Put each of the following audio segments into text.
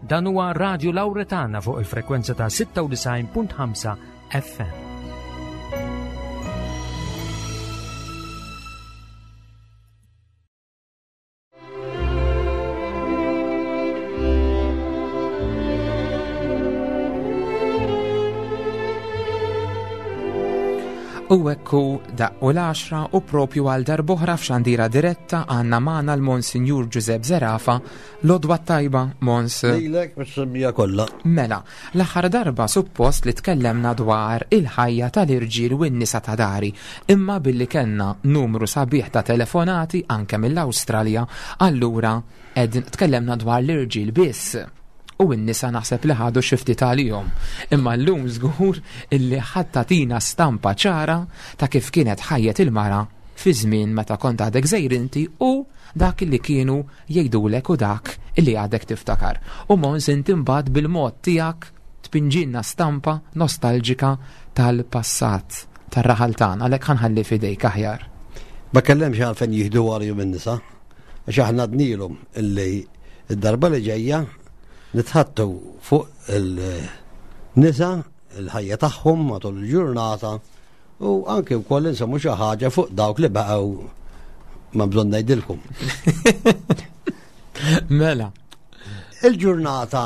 Dan huwa Radio Lauretana fuq il-frekwenza ta' 96.5 FM. U ekku daqqu l-10 u propju għal darboħra f'xandira diretta għanna magħna l-Monsinjur Giuseppe Zerafa l-odwa tajba Mons. Lilek mis-semmija kollha. Mela, l-aħħar darba suppost li tkellemna dwar il-ħajja tal-irġiel u n-nisa ta' dari, imma billi kellna numru sabiħ ta' telefonati anke mill-Awstralja, allura ed tkellemna dwar l-irġiel biss u n-nisa naħseb li ħadu xi ftit għalihom. Imma llum żgur illi ħadd tagħtina stampa ċara ta' kif kienet ħajjet il-mara fi żmien meta kont għadek żgħir inti u dak li kienu jgħidulek u dak li għadek tiftakar. U Mons inti mbagħad bil-mod tiegħek tpinġilna stampa nostalġika tal-passat tar-raħal tagħna għalhekk ħanħalli f'idejk aħjar. Ma kellemx għalfejn jieħdu għalihom in-nisa, għax aħna dnilhom illi id-darba li ġejja nitħattu fuq il-nisa, il-ħajja tagħhom matul il-ġurnata u anke wkoll insemmu xi ħaġa fuq dawk li baqgħu ma bżonn ngħidilkom. Mela. Il-ġurnata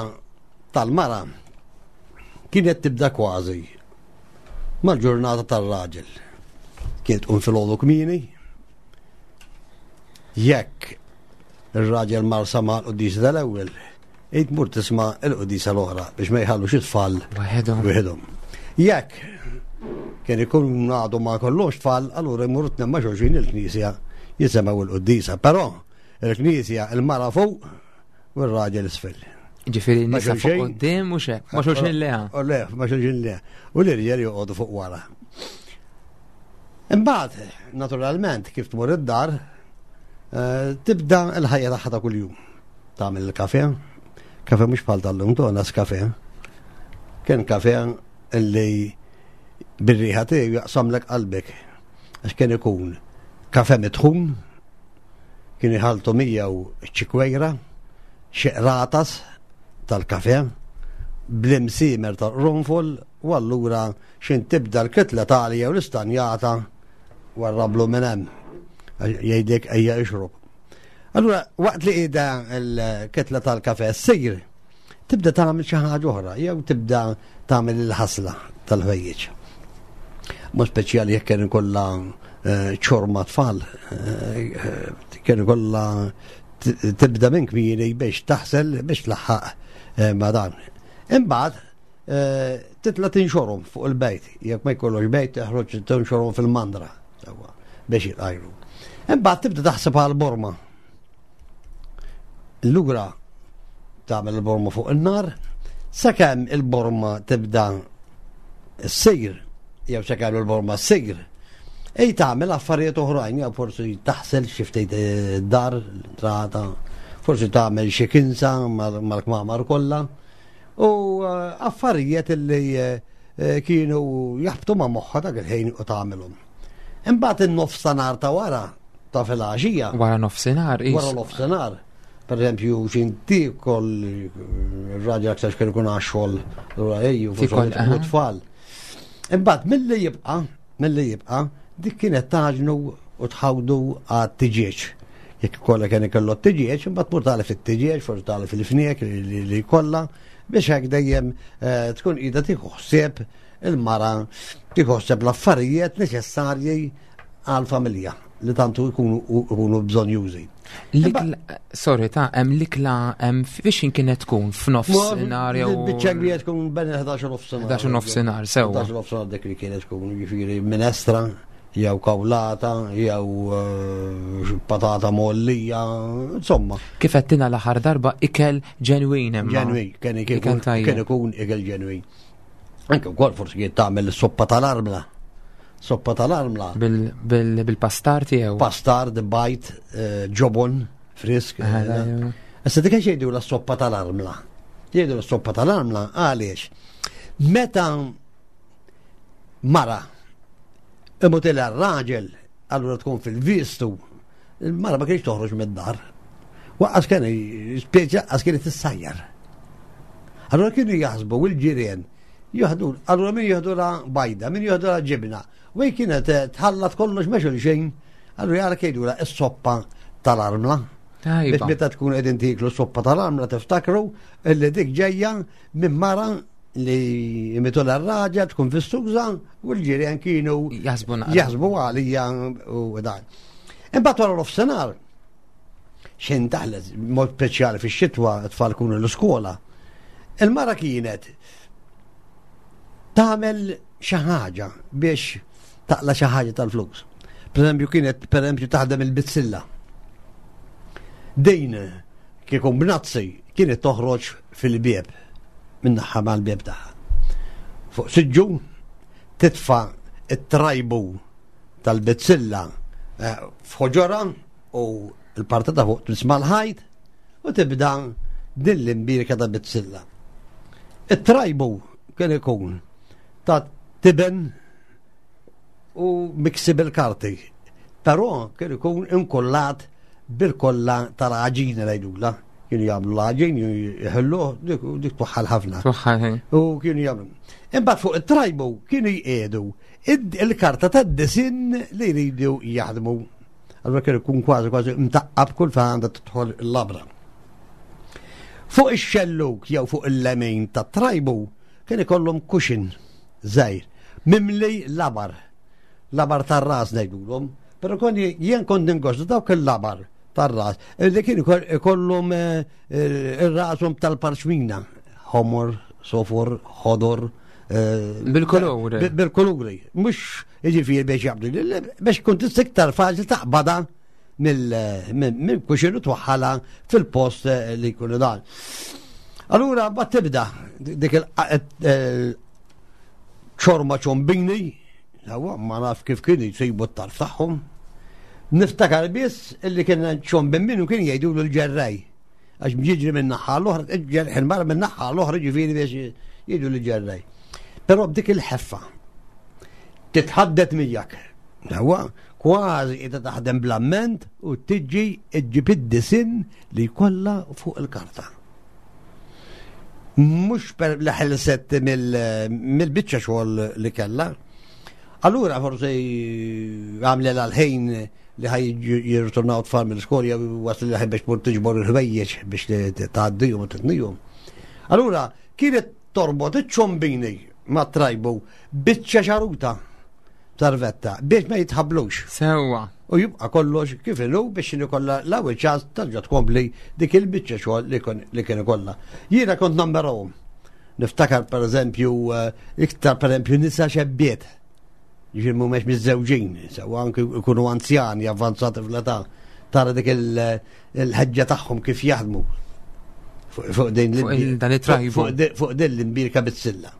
tal-mara kienet tibda kważi mal-ġurnata tar-raġel. Kienet tqum filgħodu kmieni, jekk ir-raġel mar sama l-qudisa tal-ewwel, id mur tisma' l-qudisa l-oħra biex ma jħallux it-tfal waħedhom. Jekk kien ikun għadu ma kollox tfal, allura jmur tnemma xulxin il-knisja jisemgħu l-qudisa. Però il-knisja il-mara fuq u r-raġel isfel. Ġifieri nisa fuq quddiem u xek, ma xulxin leha. U le, ma xulxin leha. U l-irġiel joqogħdu fuq wara. Imbagħad, naturalment, kif tmur id-dar, eh, tibda l-ħajja tagħha ta' kuljum. Tagħmel il-kafe, kafe mhux bħal tal-lum tonas kafe. Kien kafe illi bir-riħa tiegħu jaqsamlek qalbek. Għax kien ikun kafe mitħun, kien iħaltu miegħu ċikwejra, xi qratas tal-kafe, bl-imsiemer tal-qrunfol u allura xin tibda l-kitla tagħli jew l-istanjata warrablu minn hemm. Jgħidlek ejja ixrob. Allura waqt li qiegħda l-kitla tal-kafe ssir, tibda tagħmel xi ħaġa oħra jew tibda tagħmel il-ħasla tal-ħwejjeġ. Mod speċjali jekk kien ikollha eh, ċorma tfal, eh, kien ikollha tibda minn kmieni biex taħsel biex tlaħħaq eh, ma' dan. Imbagħad titla tinxorhom fuq il-bejt, jekk ma jkollokx bejt teħroġ tinxorhom fil-mandra biex jitqajru. Imbagħad tibda taħseb għal borma. Lura tagħmel il-borma fuq in-nar, sakemm il-borma tibda ssir, jew sakemm il-borma ssir, ej tagħmel affarijiet oħrajn, jew forsi taħsel xi ftit eh, dar, trata, forsi tagħmel xi kinsa mal-kmamar kollha, u eh, affarijiet li eh, kienu jaħbtu ma' moħħa dak il-ħin u tagħmelhom. Imbagħad in-nofsinhar ta' wara ta' filgħaxija. Wara nofsinhar, Wara nofsinhar. Per eżempju, xin tikol ir-raġel aktar kien ikun għax-xogħol lura ejju u tfal. Imbagħad milli jibqa' milli jibqa' dik kienet taġnu u tħawdu għat-tiġieġ. Jekk kollha kien ikollu t-tiġieġ, imbagħad mur tagħlef it-tiġieġ, forsi tagħlef il-fniek li jkollha biex hekk dejjem eh, tkun qiegħda tieħu ħsieb il-mara tieħu ħsieb l-affarijiet neċessarji għal-familja li tantu jkunu bżonjużi. Sorry, ta' hemm l-ikla hemm fiex kienet tkun f'nofsinhar jew. Biċċa kbira tkun bejn 11 nofsinhar. 11 nofsinhar, sewwa. 11 nofsinhar dik li kienet tkun, jiġifieri minestra jew kawlata jew eh, patata mollija, insomma. Kif qed l-aħħar darba ikel ġenwin imma. Ġenwin, kien ikun ikel ġenwin. Anke wkoll forsi kien tagħmel is-soppa tal-armla. Soppa tal-armla. Bil-pastar tiegħu. Pastar, bajt, eh, ġobon, frisk. Eh, Issa dik jgħidu la soppa tal-armla. Jgħidu la soppa tal-armla għaliex. Meta mara imutila r-raġel allura tkun fil-vistu, il-mara ma kienx toħroġ mid-dar. Waqqas kien, spieġa, għas kienet tissajjar. Allura kienu jaħsbu il-ġirien jieħdu, allura min jieħdu la bajda, min jieħdu la ġibna. U hi kienet eh, tħallat kollox ma' xulxin, allura jara kejdu la s-soppa tal-armla. Biex meta tkun qegħdin tiklu soppa tal-armla tiftakru illi dik ġejja minn mara li imitu l-raġa tkun fis-suża u l-ġirien kienu jaħsbu għalija u dan. Imbagħad wara l-ofsenar xejn daħlet mod speċjali fix-xitwa t-tfal kunu l-iskola. Il-mara kienet tagħmel xi ħaġa biex taqla xi ħaġa tal-flus. Per eżempju kienet per eżempju taħdem il-bizzilla. Din kieku b'nazzi kienet toħroġ fil-bieb minn naħa mal-bieb tagħha. Fuq siġġu titfa' it-trajbu tal-bizzilla eh, f'ħoġora u l-parti ta' fuq tmiss mal-ħajt u tibda din l-imbirka ta' bizzilla. It-trajbu kien ikun ta' tiben u miksi bil-karti, però kien ikun inkollat bil-kolla tal-għaġina ngħidula. Kienu jagħmlu l-għaġin, jħelluh, dik tuħħal ħafna. U kienu jagħmlu. Imbagħad fuq it-trajbu kienu jqiegħdu il-karta tad-disin li jridu jaħdmu. Allura kien ikun kważi kważi mtaqqab kull fejn għandha tidħol il-labra. Fuq ix-xelluk jew fuq il-lemin tat-trajbu kien ikollhom kuxin żgħir mimli labar. Labar tar-ras ngħidulhom. Però kon jien kont ningost dawk il-labar tar-ras li kien ikollhom eh, ir-rashom tal-parċmina, ħomor, sofor, ħodor. Eh, bil-kuluri. Bil-kuluri. Mhux Jiġifieri biex jaqbdu biex tkun tista' iktar faċli taqbadha mill kuxin u twaħħalha fil-post eh, li jkunu dan. Allura mbagħad tibda dik il-ċorma eh, ċombini, ma naf kif kien jsibu t-tarf tagħhom. Niftakar biss illi kien ċombin minnu kien jgħidu l-ġerrej. Għax jiġri minn naħa l-oħra, il-mara minn naħa l-oħra ġifieri biex jgħidu l-ġerrej. Però b'dik il-ħeffa titħaddet miegħek. Huwa kważi qiegħda taħdem bl-amment u tiġi ġġib id-disin li jkollha fuq il-karta. Mhux per li ħelset mill-biċċa xogħol li kellha. Allura forsi għamlel għal-ħin li ħaj jirritornaw tfal mill-iskolja wasl li ħaj biex tmur tiġbor il-ħwejjeġ biex tgħaddihom u titnihom. Allura kienet torbot iċ-ċombini mat-trajbu biċċa xaruta sarvetta biex ma jitħablux. Sewwa. U jibqa' kollox kif inhu biex ikollha l-ewwel ċans terġa' tkompli dik il-biċċa xogħol li kien ikollha. Jiena kont nammerahom. Niftakar pereżempju eh, iktar pereżempju nisa xebbiet. Ġifieri mhumiex miżżewġin, sewa anke jkunu anzjani avvanzati fl-età. Tara dik il-ħeġġa tagħhom kif jaħdmu fuq din fuq din l-imbirka bit-silla.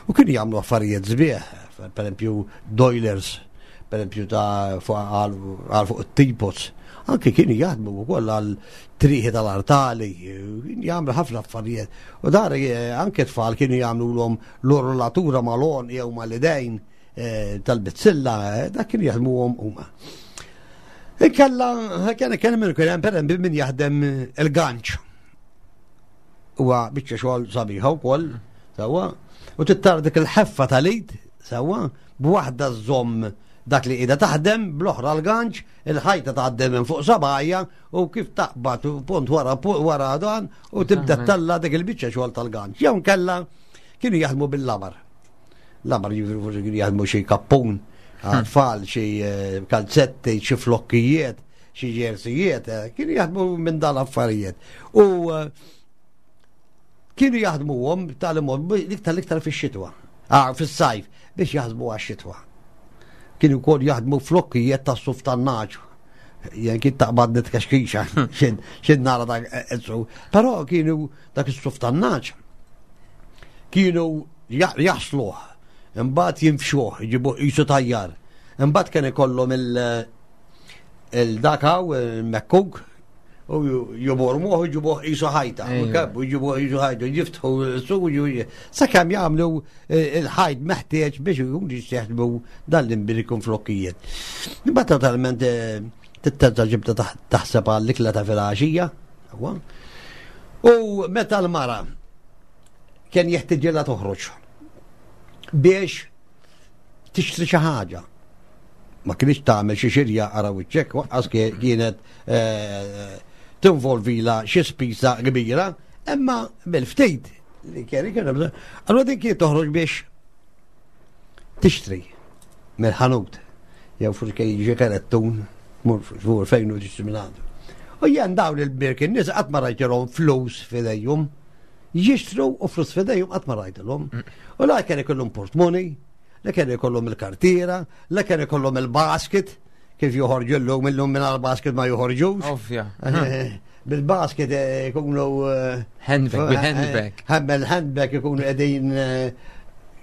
U kienu jagħmlu affarijiet sbieħ, per esempio doilers, per esempio ta' għal fuq it-teapots. Anke kienu jaħdmu wkoll għal triħi tal-artali, kienu jagħmlu ħafna affarijiet. U dar eh, anke tfal kienu jagħmlu l-orlatura mal-on jew mal-idejn eh, tal-bizzilla, eh, dak kienu jaħdmuhom huma. Inkella, kien kien minn kien hemm pereżempju min jaħdem il-ganċ. Huwa biċċa xogħol sabiħa wkoll, sewwa, u tittar dik il-ħeffa tal-id, sewwa, b'waħda żomm dak li qiegħda taħdem, bl-oħra l-ganċ, il-ħajta tgħaddi minn fuq sabajja u kif taqbad punt wara wara dan u tibda talla dik il-biċċa xogħol tal-ganċ. Jew nkella kienu jaħdmu bil-labar. Labar jiġifieri forsi kienu jaħdmu xi kappun għat-tfal, xi eh, kalzetti, xi flokkijiet, xi ġersijiet, eh, kienu jaħdmu minn dan affarijiet. U eh, kienu jaħdmuhom tal-mod iktar iktar fix-xitwa, ah, fis-sajf biex jaħdmu għax-xitwa. Kienu wkoll jaħdmu flokkijiet tas-suf tan-naġ. Jien kien taqbad nitkaxkixa, xin nara dak Però kienu dak is-suf tan-naġ kienu jaħsluh, imbagħad jinfxuh, jġibuh qisu tajjar. Imbagħad kien ikollhom il-dakaw, il-mekkuk, u jubormuh u jġibuh qisu ħajta. U jġibuh qisu ħajta, jiftħu s-suq, sakemm jagħmlu eh, il-ħajt meħtieġ biex ikun jistieħdmu dan l-imbirikum flokkijiet. Imbagħad totalment eh, titterġa' ġibda taħseb għall-ikla ta' filgħaxija. U meta l-mara kien jeħtiġilha toħroġ biex tixtri xi ħaġa. Ma kienx tagħmel xi xirja ara wiċċek, waqqas kienet eh, tinvolvila xi spiża kbira, imma bil-ftit li kien kien Allura din kienet toħroġ biex tixtri mill-ħanut jew forsi kien jiġi kerettun mur fuq fejn u tixtri minn għandu. U jien dawn il-birk in-nies qatt ma rajtilhom flus f'idejhom. Jixtru u flus f'idejhom qatt ma rajtilhom. U la kien ikollhom portmoni, la kien ikollhom il-kartiera, la kien ikollhom il-basket, kif joħorġu llum illum minn basket ma joħorġux. Ovvja. Bil-basket eh, ikunu. Eh, handbag, bil-handbag. Eh, bil-handbag ikunu qegħdin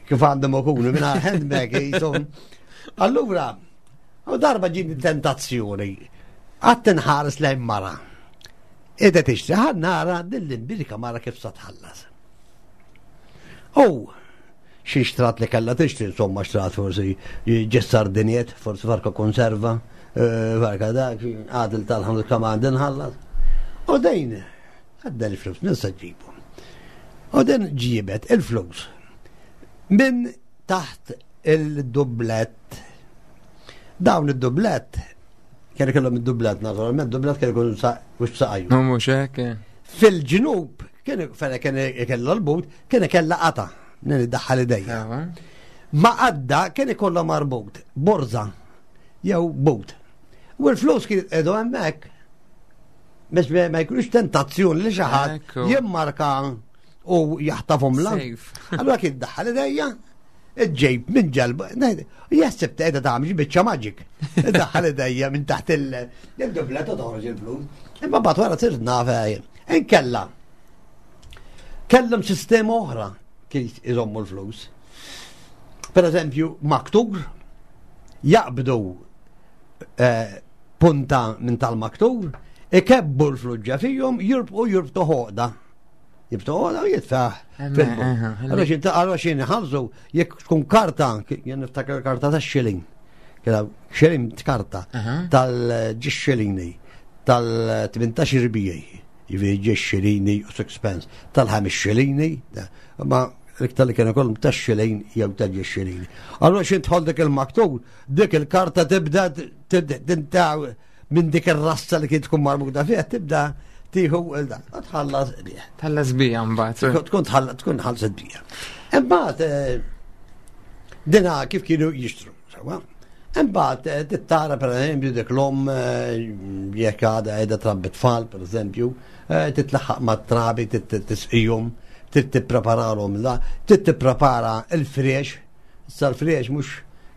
kif għandhom ikunu minn handbag jisom. Allura, u darba ġiet tentazzjoni, għad tinħares lejn mara. Qiegħda tixtri ħa nara din l-imbirka mara kif sa tħallas. U xi xtrat li kellha tixtri, insomma xtrat forsi ġessar diniet, forsi farka konserva, eh, farka dak, għadil tal-ħanut kemm għandi nħallas. U dejn, għadda l-flus, nisa ġibu. U din ġibet il-flus minn taħt il-dublett. Dawn id-dublett Kien ikollhom id-dublat naturalment, dublat kien ikun mhux saqajju. Mhux hekk. Eh. Fil-ġnub kien fejn kien ikella l-but, kien ikella qata li iddaħħal idejja. Ma għadda kien ikollha marbut borza jew but. U l-flus kien jitqedu hemmhekk biex ma jkunux tentazzjoni li xi ħadd jimmarka u jaħtafhom la. Allura kien daħħal idejja Ġejb minn ġalba, jaħseb ta' edha tagħmel biċċa magic. Daħħal idejja minn taħt il-dubla ta' toħroġ il-flus. Imma bat wara sirt naf eh, inkella. Kellhom sistema oħra kif iżommu l-flus. Per eżempju, maktur jaqbdu eh, punta minn tal-maktur, ikebbu l-flus fihom, jirbqu jirbtu ħoqda. Jibtoqgħod u jitfaħ. Allora xin ħalsu jekk tkun karta, jien niftakar karta ta' xilling. Kien xilling karta tal-ġiex xillingni tal-18 rbijaj. Jiġifieri ġiex xillingni u sixpence tal-ħames xillingni, ma l-iktar li kienu kollhom ta' xilling jew ta' ġiex xillingni. Allora xin tħol dik il-maktur, dik il-karta tibda tintaw minn dik ir-rassa li kien tkun marbuta fiha tibda tieħu il-dan. Tħallas bih. Tħallas bija mbagħad. Tkun tħallas tkun ħallset bija. Imbagħad eh, dina kif kienu jixtru, sewa. Imbagħad eh, tittara pereżempju dik l-om eh, jekk għadha qiegħda trabbi tfal pereżempju, titlaħħaq mat-trabi tisqihom, trid tippreparalhom la, trid tipprepara l-fresh Issa l-friex mhux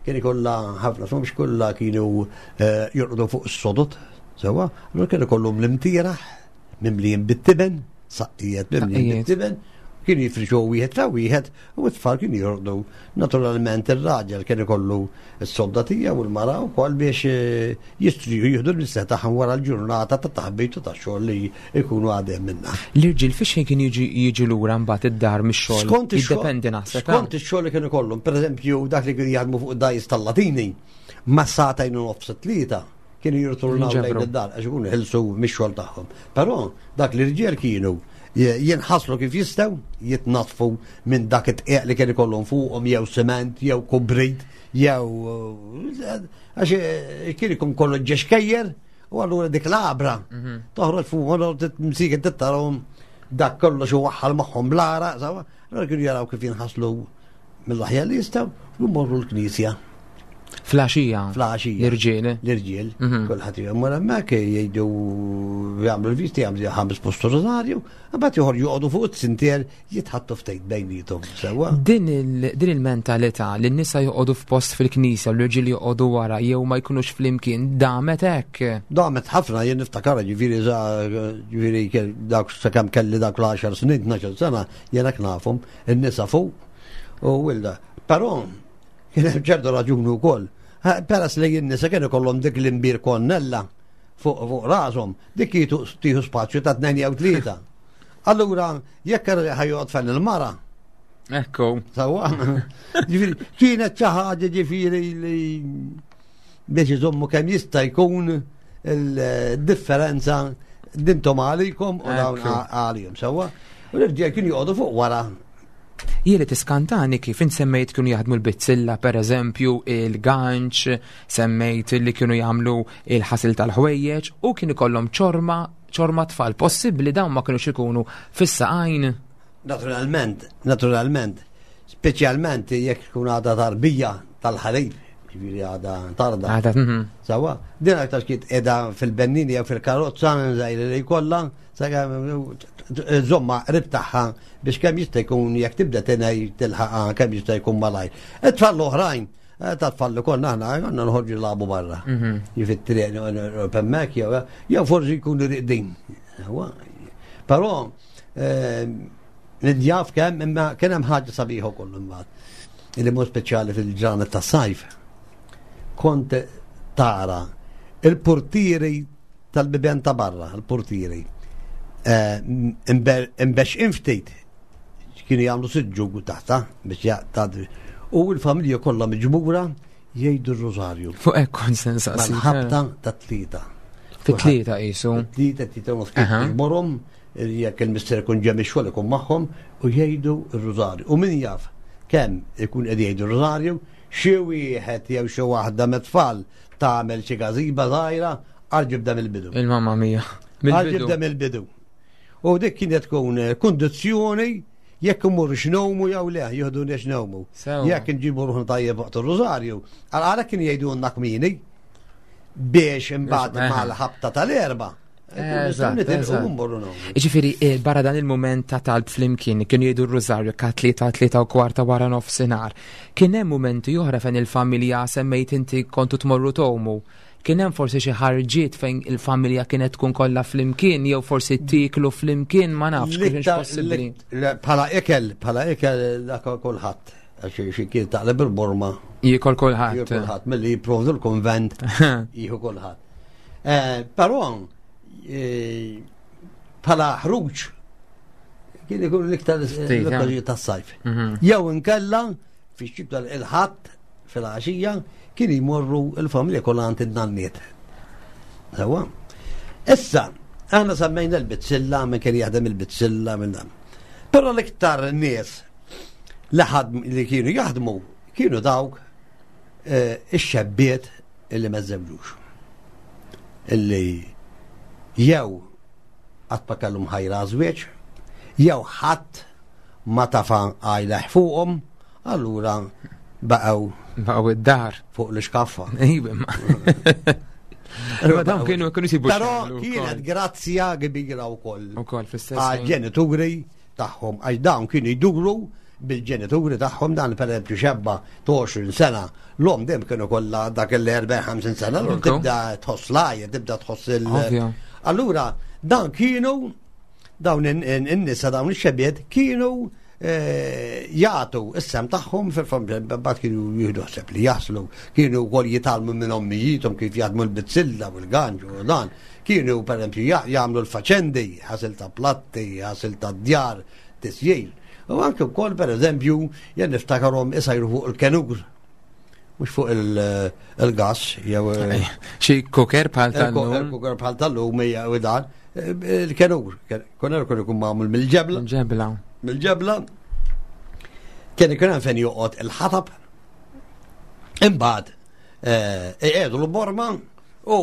kien ikollha ħafna, mhux kollha kienu eh, jorqdu fuq is-sodot, sewwa, allura kien ikollhom l-imtieraħ mimlijin bit-tiben, saqqijiet mimlijin bit-tiben, kienu jifrixu wieħed ta' wieħed u t-tfal kienu jorqdu. Naturalment ir-raġel kien ikollu s-sodda tiegħu u l-mara wkoll biex eh, jistriju jieħdu l-mistrieħ tagħhom wara l-ġurnata ta' taħbit u ta' xogħol li jkunu għadem minna. L-irġiel fiex ħin kien jiġi jiġi lura mbagħad id-dar mix-xogħol? Skont Jiddependi naħseb. Eh? Skont ix-xogħol li kienu kollhom, pereżempju dak li kienu jaħdmu fuq dajs tal-Latini, ma sagħtejn u nofs tlieta kienu jirritornaw lejn id-dar għax ikunu ħilsu mix-xogħol tagħhom. Però dak l-irġiel kienu jinħaslu kif jistgħu, jitnaddfu minn dak it-tqieq li kien ikollhom fuqhom jew siment jew kubrit jew Għax eh, kien ikun kollu ġexkejjer u allura dik l-abra mhm. toħroġ fuq u msikin tittarhom dak kollox u waħħal magħhom bl-ara, sawa, allura kienu jaraw kif jinħaslu mill-aħjar li jistgħu u jmorru l-knisja. Flaxija. Flaxija. L-irġiel. L-irġiel. Mhm. Kulħadd jmur hemmhekk jgħidu jagħmlu l-visti jagħmlu ħames postu rożarju, mbagħad joħorġu joqogħdu fuq it-sintier jitħattu ftit bejnietom sewwa. Din il-mentalità li n-nisa joqogħdu f'post fil-knisja u l-irġiel joqogħdu wara jew ma jkunux flimkien damet hekk. Damet ħafna jien niftakar ġifieri ġifieri dak sakemm kelli dak l-10 snin, 12 sena, jien hekk nafhom, in-nisa fuq u wilda. Però kien hemm ċertu raġuni wkoll. Peress li n-nisa kienu kollhom dik l-imbir konnella fuq rashom, dik tieħu spazju ta' tnejn jew tlieta. Allura, jekk ħajjoqgħod fejn il-mara. Ekku. Sawa. Ġifieri, kienet xi ħaġa ġifieri li biex iżommu kemm jista' jkun il-differenza dintom għalikom u dawn għalihom. Sawa. U l-irġiel kienu joqogħdu fuq wara. Jieli tiskantani kif int semmejt kienu jaħdmu l-bizzilla, per eżempju, il-ganċ, semmejt li kienu jagħmlu il-ħasil tal-ħwejjeġ u kienu kollhom ċorma, ċorma tfal. Possibbli dawn ma kienux ikunu fis-saqajn? Naturalment, naturalment, speċjalment jekk tkun għadha tarbija tal-ħalib, ġifieri għadha tarda. Għadha. Sawa, din aktar kien qiegħda fil-bennini jew fil-karozza żgħira li jkollha, żomma qrib tagħha biex kemm jista' jkun jekk tibda tinej tilħaqha kemm jista' jkun malajr. It-tfal l-oħrajn, eh, ta' tfal li konna aħna, konna nħorġu nilagħbu barra. Mhm. Jifi t-triq hemmhekk jew jew forsi jkunu riqdin. Però eh, nidjaf kemm imma kien hemm ħaġa sabiħa wkoll imbagħad. Illi mod speċjali fil-ġranet tas-sajf. Kont tara il-portieri tal-bibien ta' barra, l-portieri, eh, imbexqin ftit, kienu jagħmlu siġġu taħta biex jaqtad. U l-familja kollha miġbura jgħidu r-rożarju. Fuq hekk konsens Mal-ħabta ta' tlieta. Fit-tlieta qisu. Tlieta tlieta nofs kienu jekk il-mister ikun ġem ix-xogħol ikun magħhom u jgħidu r-rożarju. U min jaf kemm ikun qed jgħidu r-rożarju, xi wieħed jew xi waħda mit-tfal tagħmel xi gażiba żgħira għal ġibda mill-bidu. Il-mamma mia. Għal ġibda mill-bidu. U dik kienet tkun eh, kundizzjoni jekk imur x'nowmu jew le, jieħdu x'nowmu. Jekk nġibu ruħna tajjeb waqt ir-rużarju, għal kien jgħidulna kmini biex imbagħad mal-ħabta tal-erba' Ġifiri, eh, barra dan il-moment ta' talb flimkien, kienu jgħidu r-rużarju ka tlieta tlieta u kwarta wara nofsinhar. Kien hemm mumenti oħra fejn il-familja semmejt inti kontu tmorru tomu. Kien hemm forsi xi ħarġiet fejn il-familja kienet tkun kollha flimkien jew forsi tiklu flimkien ma nafx kienx possibbli. Bħala ikel, bħala ikel dak kulħadd. Għax xi kien taqleb il-borma. Jiekol kulħadd. Jiekol kulħadd milli jipprovdu l-konvent jieħu kulħadd. Eh, però eh, bħala ħruġ kien ikun l-iktar l-okkażjoni tas-sajf. Mhm. Jew inkella fix-xibta il-ħadd fil-għaxija kien jmorru l-familja kollha għand id-nanniet. Sewa. Issa, aħna semmejna l-bizzilla minn kien jaħdem il-bizzilla minn dan. Però l-iktar nies li li kienu jaħdmu kienu dawk eh, ix-xebbiet illi ma żewġux. Illi jew qatt ma kellhom ħajra żwieġ, jew ħadd ma tafa għajleħ fuqhom, allura baqgħu baqgħu id-dar fuq l-iskaffa. Iva, ma dawn kienu kienu sibu. Però kienet grazzja kbira wkoll. Ukoll fl-istess. Għal-ġenituri tagħhom għax dawn kienu jduru bil-ġenituri tagħhom dan pereżempju xebba ta' 20 sena l-om dejjem kienu kollha dak il-40-50 sena, allura tibda tħoss l tibda tħoss il- Allura dan kienu dawn in-nisa dawn ix-xebiet kienu eh, jagħtu is-sem tagħhom fil-familja bad kienu jieħdu ħseb li jaslu, kienu wkoll jitalmu minn ommijiethom kif jaħdmu l-bizzilla u l-ganġu u dan. Kienu pereżempju jagħmlu l-faċendi, ħasil ta' platti, ħasil ta' djar, tisjir. U anke wkoll pereżempju jien niftakarhom isajru fuq il-kenur mux fuq il-gas, jew. Eh, xi kuker bħal tal-lum. Il-kuker bħal tal-lum hija u dan. Eh, il-kenur, kenur kien ikun magħmul mill-ġebla. Ġebla. Mill-ġebla. Kien ikun hemm fejn joqgħod il-ħatab. Imbagħad eh, iqiegħdu l-borma u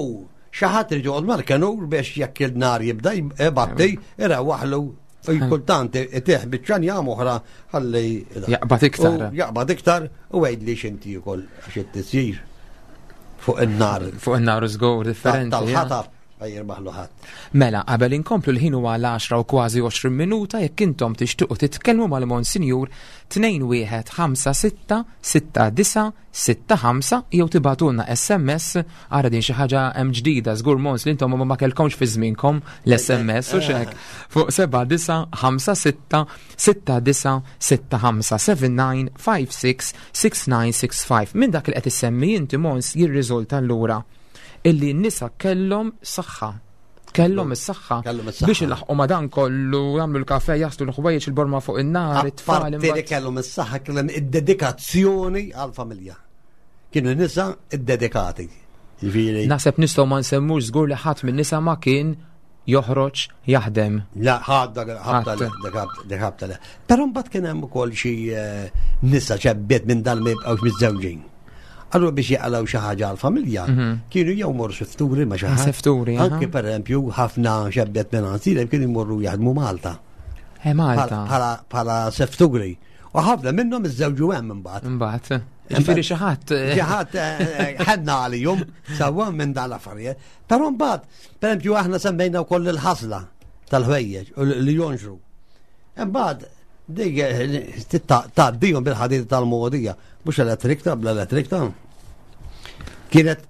xi ħadd irid joqgħod mal-kenur biex jekk il-nar jibda jbatti, irewwaħlu kultant itih biċċa njam oħra ħalli jaqbad iktar. Jaqbad iktar u għid li xinti ukoll għax it-tisjir fuq in-nar. Fuq in-nar żgur differenti. Tal-ħatab ma jirbaħlu ħadd. Mela, qabel inkomplu l-ħin huwa l-10 u kważi 20 minuta jekk intom tixtiequ titkellmu mal-Monsinjur 21 5 6 6 9 65 jew tibagħtulna SMS ara din xi ħaġa hemm ġdida żgur mons li intom ma kellkomx fi żmienkom l-SMS u xek fuq 7956 6965 7956 6965 minn dak li qed issemmi inti mons jirriżulta allura illi n-nisa kellhom saħħa kellhom is-saħħa biex ilaħqu ma dan kollu jagħmlu l-kafe jaslu l-ħwejjeġ il-borma fuq in-nar it-tfal. Li kellhom is-saħħa kellhom id-dedikazzjoni għall-familja. Kienu nisa ddedikati. Naħseb nistgħu ma nsemmux żgur li ħadd minn nisa ma kien joħroġ jaħdem. La, ħadda ħabta le, dik ħabta le. Però mbagħad kien hemm ukoll xi eh, nisa ċebbiet minn dan ma jibqgħux miżżewġin. Allura biex jaqalgħu xi ħaġa għall-familja, mhm. kienu jew morru sifturi ma xi ħadd. Sifturi. Anke pereżempju ħafna xebbiet minn għansilem kienu jmorru jaħdmu Malta. Eh, Malta. Bħala sefturi. U ħafna minnhom iżżewġu hemm imbagħad. Imbagħad. Ġifieri xi ħadd. Eh. Xi ħadd eh, ħenna għalihom sewwa minn dan l-affarijiet. Però mbagħad, pereżempju aħna semmejna wkoll il-ħasla tal-ħwejjeġ li jonxru. Imbagħad dik eh, tgħaddihom bil-ħadid tal-mogħdija, mhux elettrikta bla elettrikta. Kienet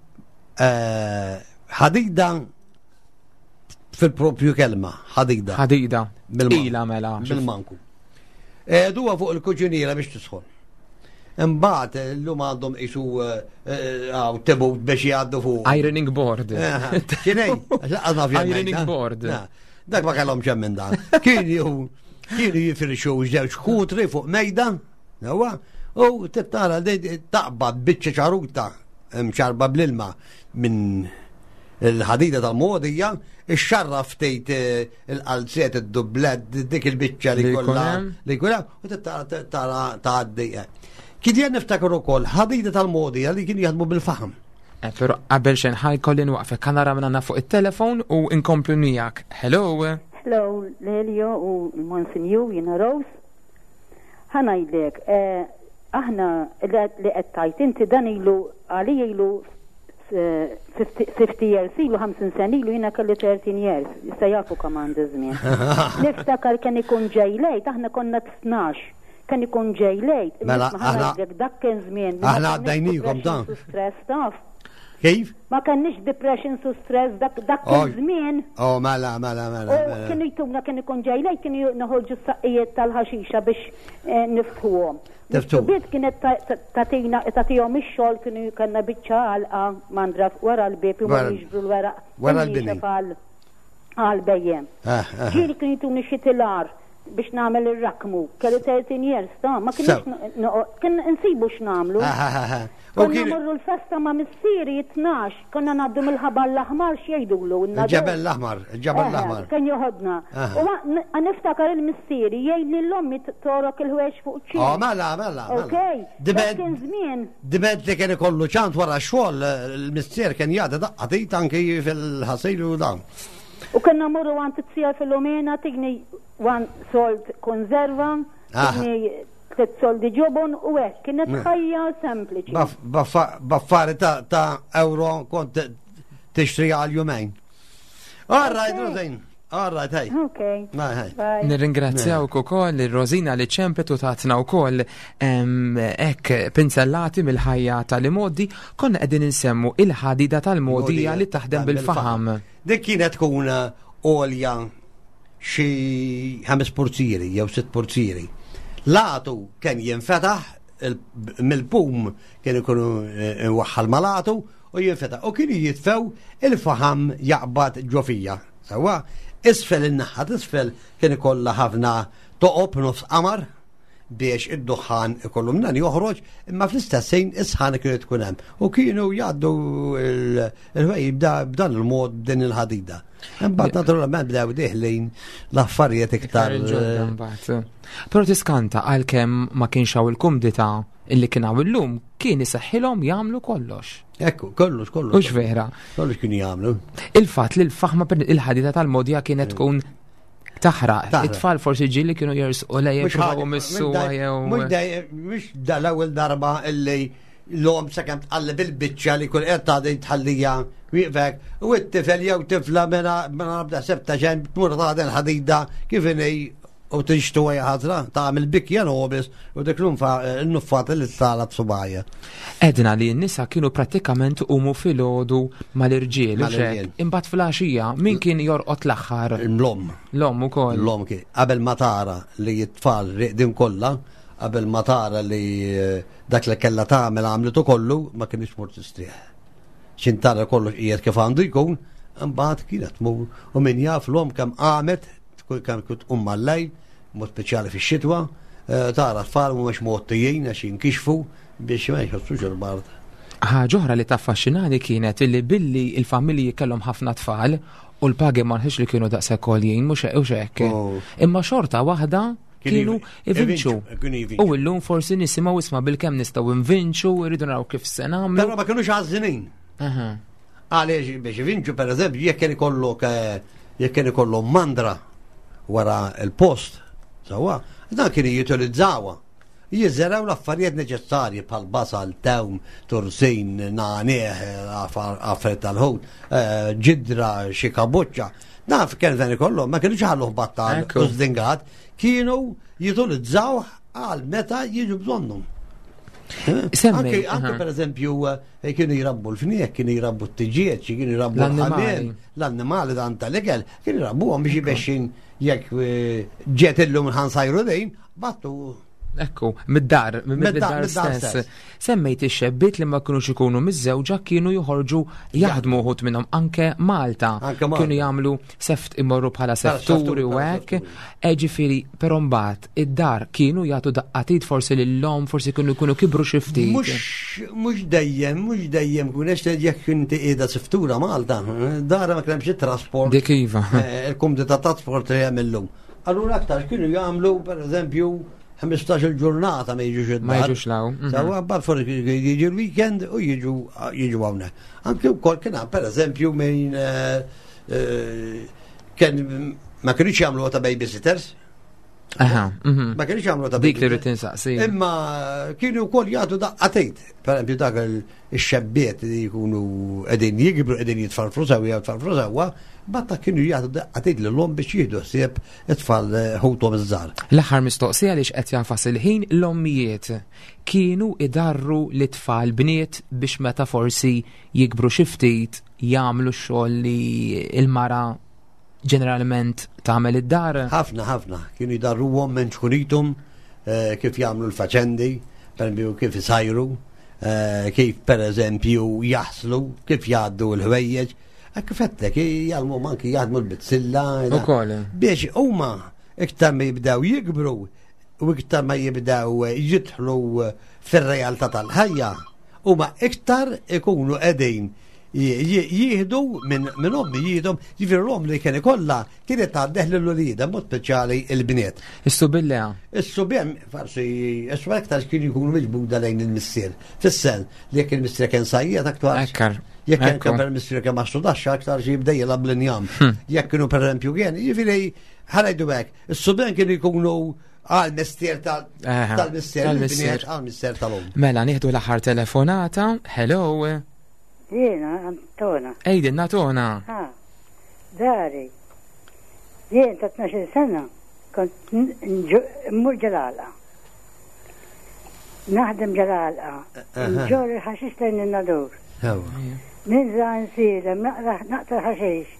ħadida fil-propju kelma, ħadida. Ħadida. Ila mela. Bil-manku. Duha fuq il-kuġiniera biex tisħon. Imbagħad illum għandhom qisu għaw tebut biex jgħaddu fuq. Ironing board. X'inhi? Ironing board. Dak ma kellhom xemm minn dan. Kienu kienu jifirxu żewġ kutri fuq mejda, nawa, u tittara taqbad biċċa ċaruta mxarba bl-ilma minn il-ħadida tal-modija, ixxarra ftit eh, il-qalziet, id-dublet, dik il-biċċa li kollha li kollha u tara tgħaddi. Eh. Kien jien niftakar ukoll ħadida tal-modija li kien jaħdmu bil-faħam. Eh, però qabel xejn ħaj kolli nwaqfek ħa nara minn fuq it-telefon u inkomplu miegħek. Hello. Hello, Lelio u l-Monsinjur jiena Rose. Ħa ngħidlek, eh, aħna li qed tajt inti dan ilu għalija ilu 50 years ilu, 50 sen ilu, jiena kelli 13 years, issa jafu kemm għandi żmien. Niftakar kien ikun ġej lejt, aħna konna 12, kien ikun ġej lejt. Mela, aħna dak kien żmien. Aħna għaddejnikom dan. Stress taf. Kif? Ma kenniex depression su stress dak dak kien żmien. Oh, mela, mela, mela. U mela. kienu jtuna kien ikun ġej lejt, kienu noħorġu s-saqqijiet tal-ħaxixa biex eh, niftħuhom. Tiftu. Bit kienet tatina tagħtihom ix-xogħol kienu kellna biċċa għalqa mandra wara l-bieb imorru jiġbru l-weraq. Wara l-bini. Għal bejjem. Eh, eh. Ġieli kienu jtuni xi tilar biex nagħmel ir-rakmu. Kelli 13 years ta' ma kienx kien insibu x'nagħmlu. Eh, Konna morru l-festa ma' missieri 12, konna ngħaddu mill-ħabar l-aħmar x'jgħidulu. Il-ġebel l-aħmar, il-ġebel l-aħmar. Kien joħodna. U niftakar il-missieri jgħid lil ommi torok il-ħwejjeġ fuq ċ Oh, mela, mela. Ok. Kien żmien. Diment li kien ikollu ċant wara x-xogħol, il-missier kien jagħti daqqa tit anki fil-ħasil u dan. U konna morru għand it-tija Filomena tigni one sold konserva, tigni tliet soldi ġobon u hekk, kienet ħajja sempliċi. Baffari ta' euro kont tixtri għal jumejn. All right, Rosina. All right, hey. Ok. Bye, Nirringrazzjawk ukoll ir-Rosina li ċempet u tatna wkoll hekk pinzellati mill-ħajja tal-imoddi, konna qegħdin insemmu il-ħadida tal-mogħdija li taħdem bil-faħam. Dik kienet tkun għolja xi ħames purzieri jew sitt purzieri. L-għatu kien jinfetaħ mill-pum kien ikunu eh, waħħal mal-għatu u jinfetaħ u kienu jitfew il-faħam jaqbad ġo fija. Sewwa, isfel in-naħa t'isfel kien ikollha ħafna toqob nofs qamar biex id-duħħan ikollu minn joħroġ, imma fl-istess ħin is-sħana kienet tkun hemm. U kienu jgħaddu il-ħwejjed b'dan il-mod b'din il-ħadida. Imbagħad naturalment bdew diħlin l-affarijiet iktar. ġodda mbagħad. Però tiskanta għalkemm ma kienx hawn il-kumdità illi kien hawn illum, kien iseħħilhom jagħmlu kollox. Ekku, kollox, kollox. Hux vera. Kollox kienu jagħmlu. Il-fatt li l-faħma il-ħadida tal-mogħdija kienet tkun taħraq. It-tfal forsi ġieli kienu jersqu lejn jippruvaw imissuha jew. Mhux dal-ewwel darba illi l-om sakemm tqalleb il-biċċa li kull qed tagħti tħallija wieqfek u t-tifel jew tifla mela mela nabda sebta xejn tmur tagħti l-ħadida kif inhi u tixtu għaj ħazra tagħmel bikja nobis u dik l-nuffat li tala b'subajja. Edna li n-nisa kienu prattikament umu filgħodu mal-irġiel. Imbagħad fil-għaxija min kien jorqod l-aħħar? L-om. L-om ukoll. L-om kien. Qabel ma tara li t-tfal riqdin kollha, qabel ma tara li eh, dak li kellha tagħmel għamlitu kollu, ma kienx mur tistrieħ. Xin tara kollox qiegħed kif għandu jkun, imbagħad kienet tmur u min jaf l-om kemm qamet kemm kont tqum mal-lejl, mod speċjali fix-xitwa, eh, tara tfal mhumiex mgħottijin għax jinkixfu biex ma jħossux il-bard. Ħaġa oħra li taffaxxinani kienet illi billi il-familji kellhom ħafna tfal U l-pagi ma nħix li kienu daqshekk għoljin, mhux hux hekk. Oh. Imma xorta waħda kienu ivinċu. Kienu jivinċu. U llum forsi nisimgħu isma' bilkemm nistgħu nvinċu, irridu naraw kif se nagħmlu. Però ma kienux għażżinin. Aha. Għaliex biex ivinċu per eżempju, jekk kien ikollok eh, jekk kien ikollhom mandra wara il-post, sewwa, dan kienu jutilizzawha. Jiżeraw l-affarijiet neċessarji bħal basal, tewm, tursin, nagħnieh, affarijiet tal-ħut, eh, ġidra, xi kabuċċa. Dan kien dan ikollhom, ma kienux ħalluh battal Ekku. u żdingat, kienu jutilizzawh għal meta jiġu bżonnhom. Eh? Semmej, Anke, anke aha. per eżempju, eh, kienu jrabbu l-fniek, kienu jrabbu t-tiġieġ, kienu jrabbu L-annimali. l-ħamiem, l-annimali dan tal-ikel, kienu jrabbuhom biex jibexxin jekk eh, ġiet illum ħansajru dejn, battu Ekku, mid-dar, Mid-dar, mid-dar mid-dar stess. stess. Semmejt ix-xebbiet li ma kienux ikunu miż-żewġa kienu joħorġu jaħdmu uħud minnhom anke Malta. Anke Malta. Kienu jagħmlu seft imorru bħala sefturi, sefturi u bħala hekk. sefturi. E ġifieri, però mbagħad id-dar kienu jagħtu daqqatit forsi lil-lom, forsi kienu jkunu kibru xi ftit. Mux, mux dejjem, mux dejjem, kunex jekk inti qiegħda siftura Malta, dara ma kienx trasport. Dik iva. Eh, Il-kumdità trasport li hemm illum. Allura aktar kienu jagħmlu pereżempju 15 il-ġurnata ma jiġux id-dar. Ma jiġux law, mhm. Sawa, mbagħad forsi jiġu l-weekend u jiġu jiġu hawnhekk. Anke wkoll kien hemm pereżempju minn eh, eh, kien ma kienux jagħmlu ta' babysitters. Aha, mhm. Ma kienux jagħmlu ta' Dik li babysitters. rrid insaqsi. Imma kienu wkoll jagħtu daqqatejt. Per eżempju dak il-xebbiet li jkunu qegħdin jikbru qegħdin jitfarfru sewwa jitfarfru sewwa, batta kienu jagħtu daqqatejt lilhom biex jieħdu ħsieb it-tfal eh, ħuthom iż-żgħar. L-aħħar mistoqsija li qed jafas il-ħin l-ommijiet kienu idarru li tfal bniet biex meta forsi jikbru xi ftit jagħmlu x-xogħol li l-mara ġeneralment tagħmel id-dar. Ħafna, ħafna, kienu jdarruhom minn ċkunitum eh, kif jagħmlu l-faċendi, per eżempju kif isajru, eh, kif per eżempju jaħslu, kif jgħaddu l-ħwejjeġ. Eh, Kif għedtlek, jgħallmuhom anki jaħdmu l-bizzilla. Ukoll. Biex huma iktar ma jibdew jikbru u iktar ma jibdew jidħlu fir-realtà tal-ħajja, huma iktar ikunu qegħdin jieħdu minn min ommi jieħdu, jiġifieri l-omm li kien ikollha kienet tgħaddeh lil uliedha mod speċjali il-bniet. Is-subillea. Is-subien forsi is aktar kienu jkunu miġbuda lejn il-missier. Fis-sen li jekk il-missier kien sajjiet aktar. Ekkar. Jekk kien Ekku. per missier kien mastru daxxa aktar xi jibda jilgħab l-injam. Jekk kienu pereżempju kien, jiġifieri ħalajdu hekk, is-subien kienu jkunu għal mestier Eħe, tal-missier, tal-missier. il-bniet għal missier tal-omm. Mela nieħdu l-aħħar telefonata. Hello. Jiena, Antona. Ejdin Natona. Ha, dari. Jien ta' 12 sena kont mmur ġelalqa. Naħdem ġelalqa. Nġor il-ħaxix lejn in-nadur. Ninża nsilem, naqta ħaxix.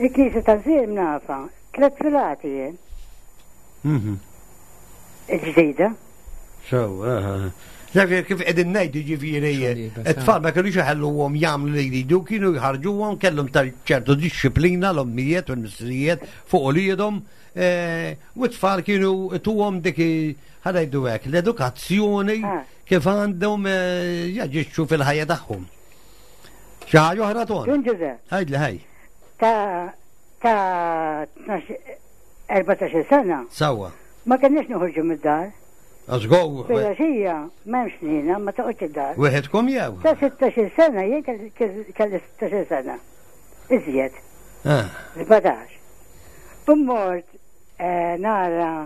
Il-knisja ta' Ziem nafa, tlet filati jien. Il-ġdida. So, Ġifieri kif qegħdin ngħidu ġifieri Xogħol it-tfal ma kinux iħalluhom jagħmlu li jridu, kienu jħarġuhom kellhom ta' ċertu disċiplina l-ommijiet u l-missirijiet fuq uliedhom eh, u t-tfal kienu tuhom dik ħanajdu hekk l-edukazzjoni Ah. kif għandhom eh, jaġixxu fil-ħajja tagħhom. Xi ħaġa oħra ton? Dun Ġużepp, Għidli ħaj. ta' ta' 12 14 sena Sawa. ma kenniex noħorġu mid-dar. Għażgow. Filgħaxija m'hemmx nina, ma toqgħodx id-dar. Wieħedkom jew? Ta' 16 sena, jien kelli 16 sena. Iżjed, Ah, 17. U mort eh, nara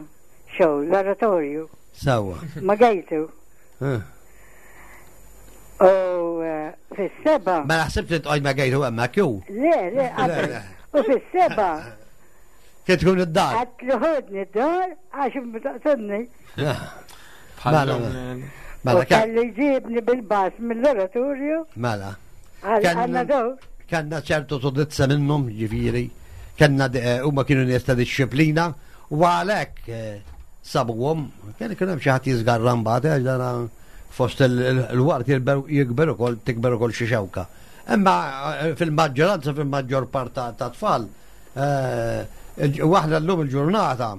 show, l-oratorju, Sawa. ma gejtu. Ah. U eh, fis-seba. Ma naħsibx li tqgħod ma gejtu hemmhekk jew. Le, le, qabel. Le, le. U fis-seba, Kien tkun id-dar. għat li ħodni d-dar għax mtaqsodni. Bħal Mela, U kelli jġibni bil-bas mill-oratorju Mela. għal Kellna- għanna daw. Kanna ċertu sodizza minnhom, ġifieri, kellna eh, huma kienu nies ta' disċiplina u għalhekk eh, sabuhom, kien ikun hemm xi ħadd jiżgarra mbagħad għax dana fost il-waqt jikber ukoll tikber ukoll xi xewka. Imma eh, fil-maġġoranza fil-maġġor part ta' tfal eh, waħda llum il-ġurnata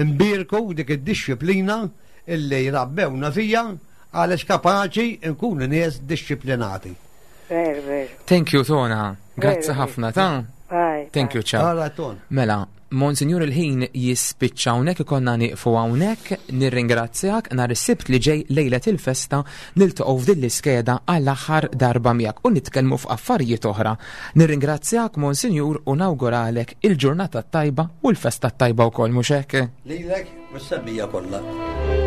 imbirku dik id-disċiplina illi jrabbewna fija għaliex kapaċi nkunu nies disċiplinati. Ver, ver. Thank you Tona. Grazzi Veru. ħafna ta' Bye. Thank you, ciao. All right, Ton. Mela, Monsignor il-ħin jispiċċa hawnhekk ikollna nieqfu hawnhekk, nirringrazzjak nhar is-Sibt li ġej lejlet il-festa niltaqgħu f'din l-iskeda għall-aħħar darba miegħek u nitkellmu f'affarijiet oħra. Nirringrazzjak Monsignor u nawguralek il-ġurnata t-tajba u l-festa t-tajba wkoll mhux hekk? Lilek u s-semmija kollha.